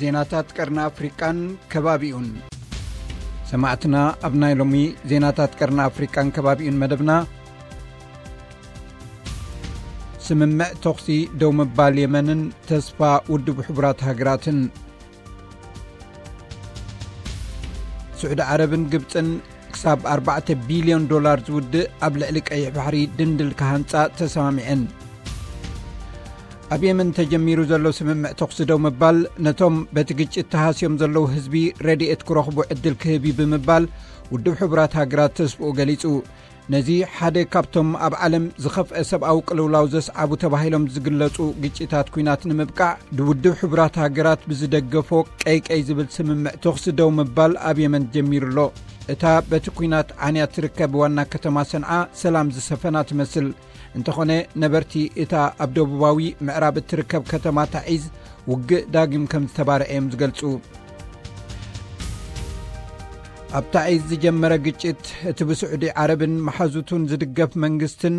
ዜናታት ቀርኒ ኣፍሪቃን ከባቢኡን። ሰማዕትና፣ ኣብ ናይ ሎሚ ዜናታት ቀርኒ ኣፍሪቃን ከባቢኡን መደብና፣ ስምምዕ ተኹሲ ደው ምባል የመንን ተስፋ ውድብ ሕቡራት ሃገራትን። ስዑዲ ዓረብን ግብጽን ክሳብ ኣርባዕተ ቢልዮን ዶላር ዝውድእ ኣብ ልዕሊ ቀይሕ ባሕሪ ድንድል ክሃንጻ ተሰማሚዐን። ኣብ የመን ተጀሚሩ ዘሎ ስምምዕ ተኹሲ ደው ምባል፣ ነቶም በቲ ግጭት ተሃስዮም ዘለዉ ህዝቢ ረድኤት ክረኽቡ ዕድል ክህብ እዩ ብምባል፣ ውድብ ሕቡራት ሃገራት ተስፍኡ ገሊጹ። ነዚ ሓደ ካብቶም ኣብ ዓለም ዝኸፍአ ሰብኣዊ ቅልውላው ዘስዓቡ ተባሂሎም ዝግለጹ ግጭታት ኲናት ንምብቃዕ፣ ብውድብ ሕቡራት ሃገራት ብዝደገፎ ቀይቀይ ዝብል ስምምዕ ተኹሲ ደው ምባል ኣብ የመን ጀሚሩ ኣሎ። እታ በቲ ኲናት ዓንያ ትርከብ ዋና ከተማ ሰንዓ ሰላም ዝሰፈና ትመስል። እንተኾነ፣ ነበርቲ እታ ኣብ ደቡባዊ ምዕራብ እትርከብ ከተማ ታዒዝ ውግእ ዳግም ከም ዝተባርዐ እዮም ዝገልጹ። ኣብ ታዒዝ ዝጀመረ ግጭት፣ እቲ ብስዑዲ ዓረብን መሓዙቱን ዝድገፍ መንግስትን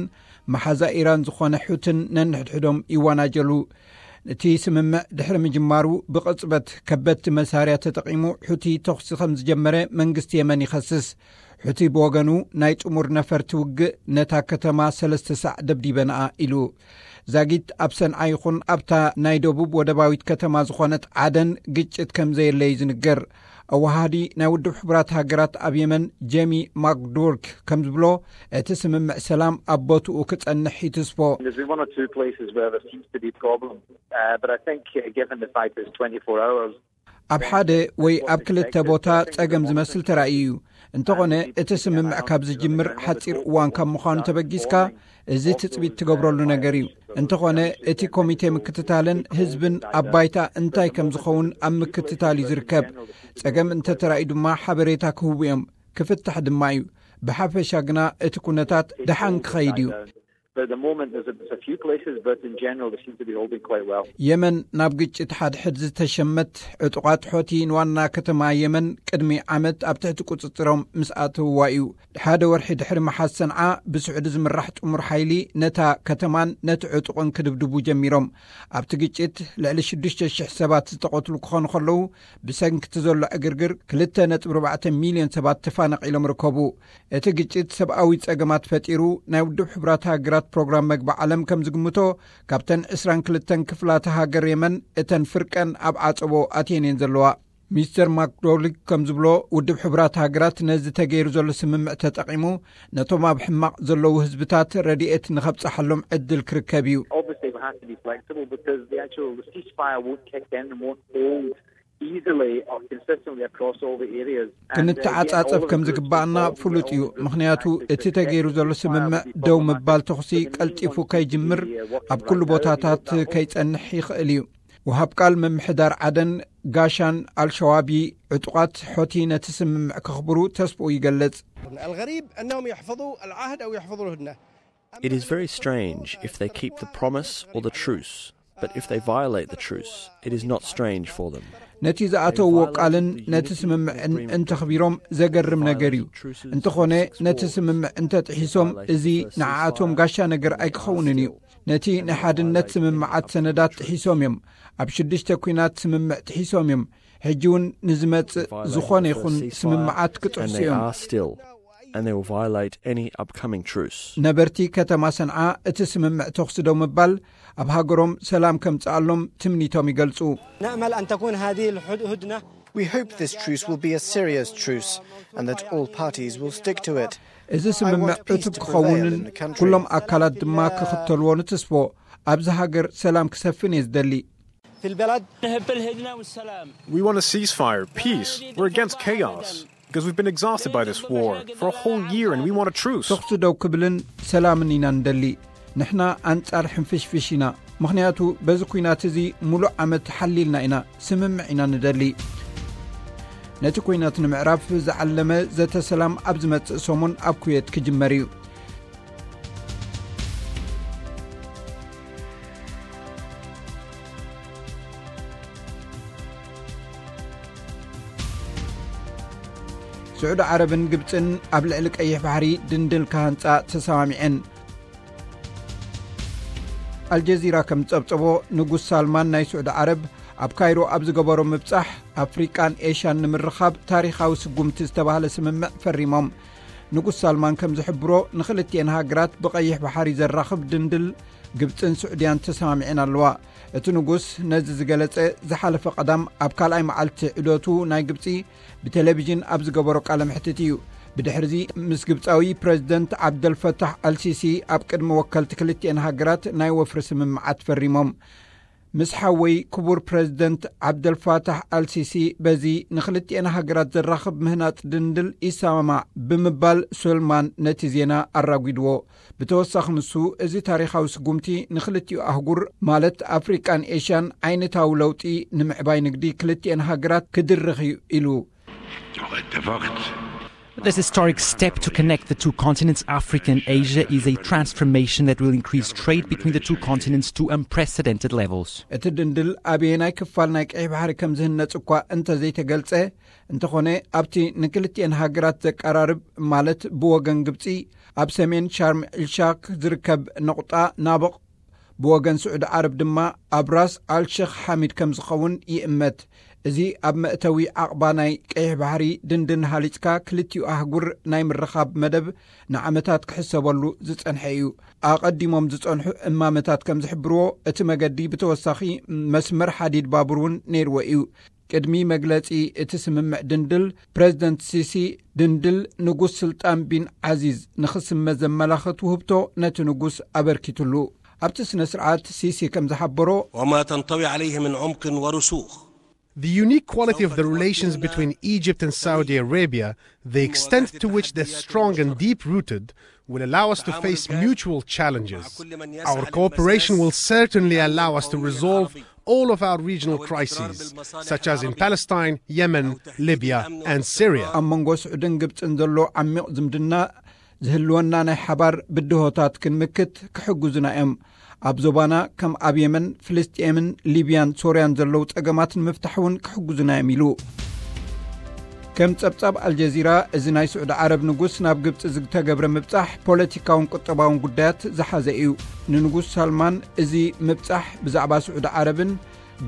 መሓዛ ኢራን ዝኾነ ሑትን ነንሕድሕዶም ይወናጀሉ። እቲ ስምምዕ ድሕሪ ምጅማሩ፣ ብቕጽበት ከበድቲ መሳርያ ተጠቒሙ ሑቲ ተኹሲ ከም ዝጀመረ መንግስቲ የመን ይኸስስ። ሑቲ ብወገኑ፣ ናይ ጥሙር ነፈርቲ ውግእ ነታ ከተማ ሰለስተ ሳዕ ደብዲበንኣ ኢሉ። ዛጊት ኣብ ሰንዓ ይኹን ኣብታ ናይ ደቡብ ወደባዊት ከተማ ዝኾነት ዓደን ግጭት ከም ዘየለ እዩ ዝንገር። ኣወሃሃዲ ናይ ውድብ ሕቡራት ሃገራት ኣብ የመን ጄሚ ማክዱርክ ከም ዝብሎ፣ እቲ ስምምዕ ሰላም ኣብ ቦትኡ ክጸንሕ ይትስፎ። There's one or two places where there seems to be problems, uh, but I think, uh, given the fact it's twenty-four hours, ኣብ ሓደ ወይ ኣብ ክልተ ቦታ ጸገም ዝመስል ተራእዩ እዩ። እንተኾነ፣ እቲ ስምምዕ ካብ ዝጅምር ሓጺር እዋን ካብ ምዃኑ ተበጊስካ፣ እዚ ትጽቢት ትገብረሉ ነገር እዩ። እንተኾነ፣ እቲ ኮሚቴ ምክትታልን ህዝብን ኣብ ባይታ እንታይ ከም ዝኸውን ኣብ ምክትታል እዩ ዝርከብ። ጸገም እንተተራእዩ ድማ ሓበሬታ ክህቡ እዮም። ክፍታሕ ድማ እዩ። ብሓፈሻ ግና እቲ ኩነታት ደሓን ክኸይድ እዩ። But at the moment, there's a, there's a few places, but in general, they seem to be holding quite well. የመን ናብ ግጭት ሓድሕድ ዝተሸመት ዕጡቓት ሖቲ ንዋና ከተማ የመን ቅድሚ ዓመት ኣብ ትሕቲ ቁጽጽሮም ምስ ኣተውዋ እዩ። ሓደ ወርሒ ድሕሪ መሓዝ ሰንዓ ብስዑዲ ዝምራሕ ጥሙር ሓይሊ ነታ ከተማን ነቲ ዕጡቕን ክድብድቡ ጀሚሮም። ኣብቲ ግጭት ልዕሊ ሽዱሽተ ሽሕ ሰባት ዝተቐትሉ ክኾኑ ከለዉ፣ ብሰንኪ እቲ ዘሎ ዕግርግር ክልተ ነጥቢ ኣርባዕተ ሚልዮን ሰባት ተፋናቒሎም ርከቡ። እቲ ግጭት ሰብኣዊ ጸገማት ፈጢሩ፣ ናይ ውድብ ሕቡራት ሃገራት ፕሮግራም መግቢ ዓለም ከም ዝግምቶ፣ ካብተን ዕስራን ክልተን ክፍላተ ሃገር የመን፣ እተን ፍርቀን ኣብ ዓጸቦ ኣትየን እየን ዘለዋ። ሚስተር ማክዶሊክ ከም ዝብሎ፣ ውድብ ሕቡራት ሃገራት ነዚ ተገይሩ ዘሎ ስምምዕ ተጠቒሙ፣ ነቶም ኣብ ሕማቕ ዘለዉ ህዝብታት ረድኤት ንኸብጽሓሎም ዕድል ክርከብ እዩ። Obviously, we have to be flexible because the actual ceasefire won't kick in and won't hold easily or consistently across all the areas. And, uh, again, all ክንተዓጻጸፍ of the ከም groups ዝግባኣና involved ፍሉጥ እዩ። ምኽንያቱ፣ እቲ ተገይሩ ዘሎ ስምምዕ ደው ምባል ተኹሲ ቀልጢፉ ከይጅምር፣ ኣብ ኩሉ ቦታታት ከይጸንሕ ይኽእል እዩ። ወሃብ ቃል ምምሕዳር ዓደን ጋሻን ኣልሸዋቢ፣ ዕጡቓት ሖቲ ነቲ ስምምዕ ከኽብሩ ተስፍኡ ይገልጽ። الغريب أنهم يحفظوا العهد أو يحفظوا الهدنة. It is very strange if they keep the promise or the truce, but if they violate the truce, it is not strange for them. ነቲ ዝኣተውዎ ቃልን ነቲ ስምምዕን እንተኽቢሮም ዘገርም ነገር እዩ። እንተኾነ፣ ነቲ ስምምዕ እንተጥሒሶም፣ እዚ ንዓኣቶም ጋሻ ነገር ኣይክኸውንን እዩ። ነቲ ናይ ሓድነት ስምምዓት ሰነዳት ጥሒሶም እዮም። ኣብ ሽዱሽተ ኲናት ስምምዕ ጥሒሶም እዮም። ሕጂ እውን ንዝመጽእ ዝኾነ ይኹን ስምምዓት ክጥሕሱ እዮም። And they will violate any upcoming truce. ነበርቲ ከተማ ሰንዓ፣ እቲ ስምምዕ ተኹሲ ደው ምባል ኣብ ሃገሮም ሰላም ከምጽኣሎም ትምኒቶም ይገልጹ። نأمل أن تكون هذه الهدنة. We hope this truce will be a serious truce and that all parties will stick to it. እዚ ስምምዕ ዕቱብ ክኸውንን ኩሎም ኣካላት ድማ ክኽተልዎ ንትስፎ። ኣብዚ ሃገር ሰላም ክሰፍን እየ ዝደሊ። في البلد نحب الهدنة والسلام. We want a ceasefire, peace. We're against chaos because we've been exhausted by this war for a whole year and we want a truce. ተኹሲ ደው ክብልን ሰላምን ኢና ንደሊ። ንሕና ኣንጻር ሕንፍሽፍሽ ኢና፣ ምኽንያቱ በዚ ኲናት እዚ ሙሉእ ዓመት ሓሊልና ኢና፣ ስምምዕ ኢና ንደሊ። ነቲ ኲናት ንምዕራፍ ዝዓለመ ዘተ ሰላም ኣብ ዝመጽእ ሰሙን ኣብ ኩዌት ክጅመር እዩ። ስዑዲ ዓረብን ግብጽን ኣብ ልዕሊ ቀይሕ ባሕሪ ድንድል ክሃንጻ ተሰማሚዐን። ኣልጀዚራ ከም ዝጸብጸቦ፣ ንጉስ ሳልማን ናይ ስዑዲ ዓረብ ኣብ ካይሮ ኣብ ዝገበሮ ምብጻሕ፣ ኣፍሪቃን ኤሽያን ንምርኻብ ታሪኻዊ ስጉምቲ ዝተባህለ ስምምዕ ፈሪሞም። ንጉስ ሳልማን ከም ዝሕብሮ፣ ንኽልቲኤን ሃገራት ብቐይሕ ባሕሪ ዘራኽብ ድንድል ግብጽን ስዑድያን ተሰማሚዐን ኣለዋ። እቲ ንጉስ ነዚ ዝገለጸ ዝሓለፈ ቀዳም ኣብ ካልኣይ መዓልቲ ዑደቱ ናይ ግብጺ ብቴሌቪዥን ኣብ ዝገበሮ ቃለ መሕትት እዩ። ብድሕርዚ ምስ ግብጻዊ ፕሬዝደንት ዓብደልፈታሕ ኣልሲሲ ኣብ ቅድሚ ወከልቲ ክልቲኤን ሃገራት ናይ ወፍሪ ስምምዓት ፈሪሞም። ምስ ሓወይ ክቡር ፕሬዝደንት ዓብደልፋታሕ ኣልሲሲ በዚ ንክልቲኤን ሃገራት ዘራኽብ ምህናጽ ድንድል ይሰማማዕ ብምባል ሶልማን ነቲ ዜና ኣራጒድዎ። ብተወሳኺ ንሱ፣ እዚ ታሪኻዊ ስጉምቲ ንክልቲኡ ኣህጉር ማለት ኣፍሪቃን ኤሽያን ዓይነታዊ ለውጢ ንምዕባይ ንግዲ ክልቲኤን ሃገራት ክድርኽ እዩ ኢሉ። This historic step to connect the two continents, Africa and Asia, is a transformation that will increase trade between the two continents to unprecedented levels. እቲ ድንድል ኣበየናይ ክፋል ናይ ቀይሕ ባሕሪ ከም ዝህነጽ እኳ እንተዘይተገልጸ፣ እንተኾነ ኣብቲ ንክልቲኤን ሃገራት ዘቀራርብ ማለት ብወገን ግብጺ ኣብ ሰሜን ሻርም ኤልሻክ ዝርከብ ነቑጣ ናብቕ፣ ብወገን ስዑዲ ዓረብ ድማ ኣብ ራስ ኣልሸኽ ሓሚድ ከም ዝኸውን ይእመት። እዚ ኣብ መእተዊ ዓቕባ ናይ ቀይሕ ባሕሪ ድንድን ሃሊጽካ ክልቲኡ ኣህጉር ናይ ምርኻብ መደብ ንዓመታት ክሕሰበሉ ዝጸንሐ እዩ። ኣቐዲሞም ዝጸንሑ እማመታት ከም ዝሕብርዎ፣ እቲ መገዲ ብተወሳኺ መስመር ሓዲድ ባቡር እውን ነይርዎ እዩ። ቅድሚ መግለጺ እቲ ስምምዕ ድንድል፣ ፕሬዝደንት ሲሲ ድንድል ንጉስ ስልጣን ቢን ዓዚዝ ንኽስመ ዘመላኽት ውህብቶ ነቲ ንጉስ ኣበርኪትሉ። ኣብቲ ስነ ስርዓት ሲሲ ከም ዝሓበሮ፣ وما تنطوي عليه من عمق ورسوخ The unique quality of the relations between Egypt and Saudi Arabia, the extent to which they're strong and deep rooted, will allow us to face mutual challenges. Our cooperation will certainly allow us to resolve all of our regional crises, such as in Palestine, Yemen, Libya, and Syria. ኣብ መንጎ ስዑድን ግብጽን ዘሎ ዓሚቕ ዝምድና ዝህልወና ናይ ሓባር ብድሆታት ክንምክት ክሕግዙና እዮም። ኣብ ዞባና ከም ኣብ የመን፣ ፍልስጤምን ሊብያን ሶርያን ዘለዉ ጸገማት ንምፍታሕ እውን ክሕግዙና እዮም ኢሉ። ከም ጸብጻብ ኣልጀዚራ፣ እዚ ናይ ስዑዲ ዓረብ ንጉስ ናብ ግብጺ ዝተገብረ ምብጻሕ ፖለቲካውን ቁጠባውን ጉዳያት ዝሓዘ እዩ። ንንጉስ ሳልማን እዚ ምብጻሕ ብዛዕባ ስዑዲ ዓረብን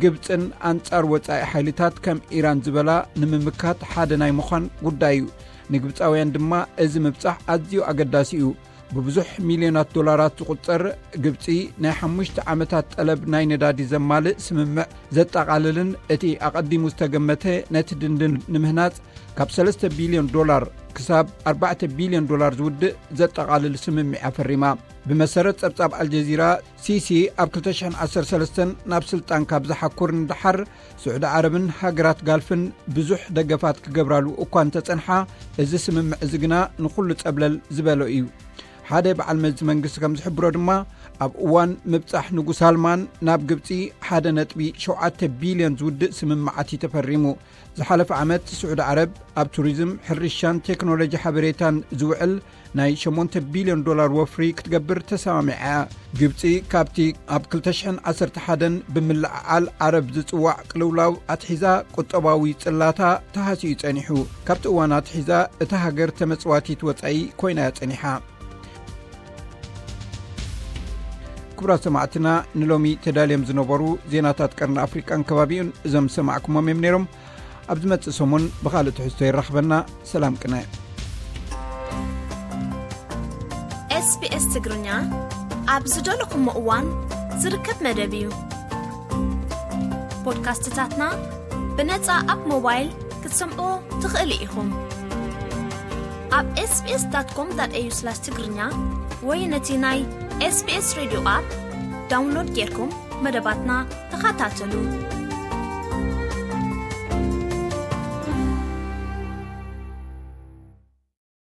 ግብጽን ኣንጻር ወጻኢ ሓይልታት ከም ኢራን ዝበላ ንምምካት ሓደ ናይ ምዃን ጉዳይ እዩ። ንግብጻውያን ድማ እዚ ምብጻሕ ኣዝዩ ኣገዳሲ እዩ። ብብዙሕ ሚልዮናት ዶላራት ዝቑጸር ግብጺ ናይ ሓሙሽተ ዓመታት ጠለብ ናይ ነዳዲ ዘማልእ ስምምዕ ዘጠቓልልን እቲ ኣቐዲሙ ዝተገመተ ነቲ ድንድን ንምህናጽ ካብ ሰለስተ ቢልዮን ዶላር ክሳብ ኣርባዕተ ቢልዮን ዶላር ዝውድእ ዘጠቓልል ስምምዕ ኣፈሪማ። ብመሰረት ጸብጻብ ኣልጀዚራ፣ ሲሲ ኣብ ክልተ ሽሕን ዓሰርተ ሰለስተን ናብ ስልጣን ካብ ዝሓኩር ንደሓር፣ ስዑዲ ዓረብን ሃገራት ጋልፍን ብዙሕ ደገፋት ክገብራሉ እኳ እንተጸንሓ፣ እዚ ስምምዕ እዚ ግና ንኹሉ ጸብለል ዝበሎ እዩ። ሓደ በዓል መዚ መንግስቲ ከም ዝሕብሮ ድማ፣ ኣብ እዋን ምብጻሕ ንጉስ ሳልማን ናብ ግብጺ ሓደ ነጥቢ ሸውዓተ ቢልዮን ዝውድእ ስምምዓት እዩ ተፈሪሙ። ዝሓለፈ ዓመት ስዑዲ ዓረብ ኣብ ቱሪዝም፣ ሕርሻን ቴክኖሎጂ ሓበሬታን ዝውዕል ናይ ሸሞንተ ቢልዮን ዶላር ወፍሪ ክትገብር ተሰማሚዓ እያ። ግብጺ ካብቲ ኣብ ክልተ ሽሕን ዓሰርተ ሓደን ብምልዕዓል ዓረብ ዝጽዋዕ ቅልውላው ኣትሒዛ ቁጠባዊ ጽላታ ተሃስዩ ጸኒሑ። ካብቲ እዋን ኣትሒዛ እታ ሃገር ተመጽዋቲት ወጻኢ ኮይና እያ ጸኒሓ። ክቡራት ሰማዕትና፣ ንሎሚ ተዳልዮም ዝነበሩ ዜናታት ቀርኒ ኣፍሪቃን ከባቢኡን እዞም ዝሰማዕኩሞም እዮም ነይሮም። ኣብ ዝመጽእ ሰሙን ብኻልእ ትሕዝቶ ይራኽበና። ሰላም ቅነ። ኤስቢኤስ ትግርኛ ኣብ ዝደለኹሞ እዋን ዝርከብ መደብ እዩ። ፖድካስትታትና ብነጻ ኣብ ሞባይል ክትሰምዑ ትኽእሉ ኢኹም። ኣብ ኤስቢኤስ ዳት ኮም ዳት ኤዩ ስላሽ ትግርኛ ወይ ነቲ ናይ ኤስቢኤስ ሬድዮ ኣፕ ዳውንሎድ ጌርኩም መደባትና ተኸታተሉ።